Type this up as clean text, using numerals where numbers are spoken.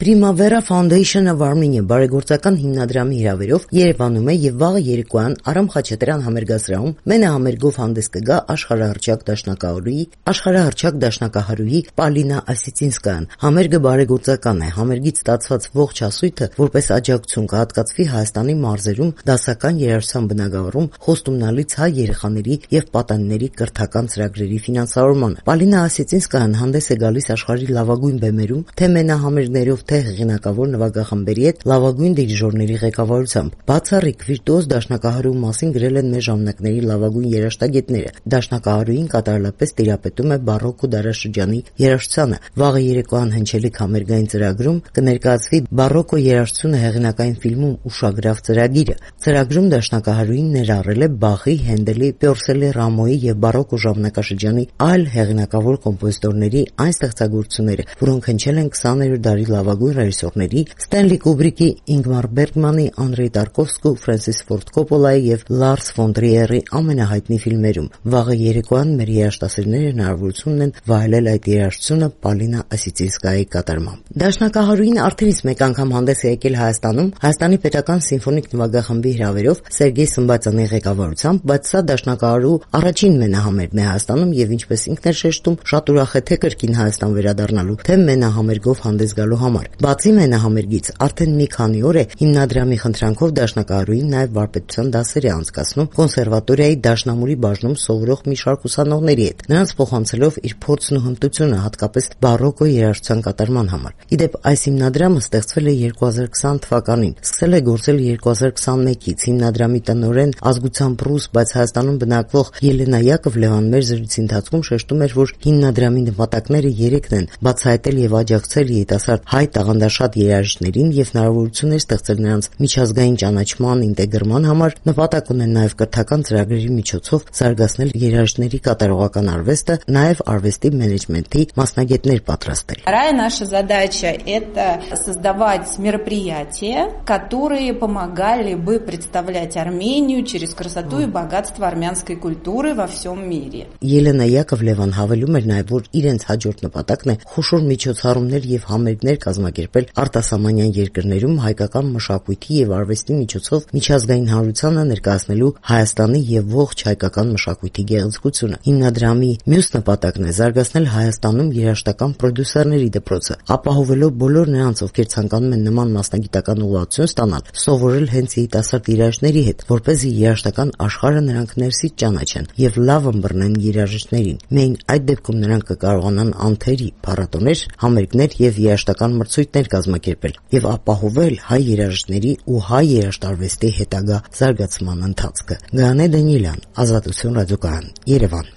Primavera Foundation-ը Վարմինյա բարեգործական հիմնադրամի հրավերով Երևանում է եւ վաղը երեկոյան Արամ Խաչատրյան համերգասրահում մենահամերգով հանդես կգա աշխարհահռչակ դաշնակահարուհի Պալինա Ասիցինսկայան։ Համերգը բարեգործական է, համերգից ստացված ողջ հասույթը որպես աջակցություն կհատկացվի Հայաստանի մարզերում դասական երաժշտության բնագավառում խոստումնալից հայ երեխաների եւ պատանիների կրթական ծրագրերի ֆինանսավորմանը։ Պալինա Ասիցինսկայան հանդես է գալիս աշխարհի լավագույն բեմերում, թե մենահամերգներով թե հեղինակավոր նվագախմբերի հետ լավագույն դիրիժորների ղեկավարությամբ։ Բացառիկ վիրտուոզ դաշնակահարու մասին գրել են մեր ժամանակների լավագույն երաժշտագետները։ Դաշնակահարուին կատարելապես տիրապետում է բարոկկո դարաշրջանի երաժշտությանը։ Վաղը երեկոյան հնչելիք համերգային ծրագրում կներկայացվի բարոկկո երաժշտությունը հեղինակային ֆիլմում ուշագրավ ծրագիրը։ Ծրագրում դաշնակահարուին ներառել է Բախի, Հենդելի, Պյորսելի, Ռամոյի եւ բարոկկո ժամանակաշրջանի այլ հեղինակավոր կոմպոզիտորների այն ստեղծագործությունները, որոնք հնչել են 20-րդ դարի լավագույն ռեժիսորների Ստենլի Կուբրիկի, Ինգմար Բերգմանի, Անդրեյ Տարկովսկու, Ֆրանսիս Ֆորդ Կոպոլայի եւ Լարս ֆոն Տրիերի ամենահայտնի ֆիլմերում։ Վաղը երեկոյան մեր երաժշտասերները հնարավորություն ունեն վայելել այդ երաժշտությունը Պալինա Ասիցինսկայի կատարմամբ։ Դաշնակահարուին արդեն իսկ մեկ անգամ հանդես է եկել Հայաստանում Հայաստանի պետական սիմֆոնիկ նվագախմբի հրավերով Սերգեյ Սմբատյանի ղեկավարությամբ, բայց սա դաշնակահարու առաջին մենահամերգն է Հայաստանում եւ ինչպես ինքն էր շեշտում, շատ ուրախ է թե կրկին Հայաստան վերադառնալու, թե մենահամերգով հանդես գալու համար։ Բացի մենահամերգից, արդեն մի քանի օր է հիմնադրամի խնդրանքով դաշնակահարուին նաև վարպետության դասեր է անցկացնում կոնսերվատորիայի դաշնամուրի բաժնում սովորող մի շարք ուսանողների հետ, նրանց փոխանցելով իր փորձն ու հմտությունը հատկապես բարոկկո երաժշտության կատարման համար։ Իդեպ այս հիմնադրամը ստեղծվել է 2020 թվականին, սկսել է գործել 2021-ից։ Հիմնադրամի տնօրեն ազգությամբ ռուս, բայց Հայաստանում բնակվող Ելենա Յակովլևան մեր զրույցի ընթացքում շեշտում էր, որ հիմնադրամի նպատակները երեքն են՝ բացահայտել եւ աջակցել երիտասարդ հայ տաղանդաշատ երաժիշտներին եւ հնարավորություններ ստեղծել նրանց միջազգային ճանաչման, ինտեգրման համար, նպատակ ունեն նաեւ կրթական ծրագրերի միջոցով զարգացնել երաժիշտների կատարողական արվեստը, նաեւ արվեստի մենեջմենթի մասնագետներ պատրաստել։ Вторая наша задача – это создавать мероприятия, которые помогали бы представлять Армению через красоту и богатство армянской культуры во всем мире. Ելենա Յակովլևան հավելում էր նաեւ, որ իրենց հաջորդ նպատակն է խոշոր միջոցառումներ եւ համերգներ կազմակերպել արտասահմանյան երկրներում հայկական մշակույթի եւ արվեստի միջոցով միջազգային հանրությանը ներկայացնելու Հայաստանի եւ ողջ հայկական մշակույթի գեղեցկությունը։ Հիմնադրամի մյուս նպատակն է զարգացնել Հայաստանում երաժշտական պրոդյուսերների դպրոցը, ապահովելով բոլոր նրանց, ովքեր ցանկանում են նման մասնագիտական ուղղվածություն ստանալ, սովորել հենց երիտասարդ երաժիշտների հետ, որպեսզի երաժշտական աշխարհը նրանք ներսից ճանաչեն եւ լավ ըմբռնեն երաժիշտներին։ Միայն այդ դեպքում նրանք կկարողանան անթերի, փառատոներ, համերգներ եւ երաժշտական մրցույթներ կազմակերպել եւ ապահովել հայ երաժիշտների ու հայ երաժշտարվեստի հետագա զարգացման ընթացքը։ Գայանե Դանիելյան, Ազատություն ռադիոկայան, Երևան։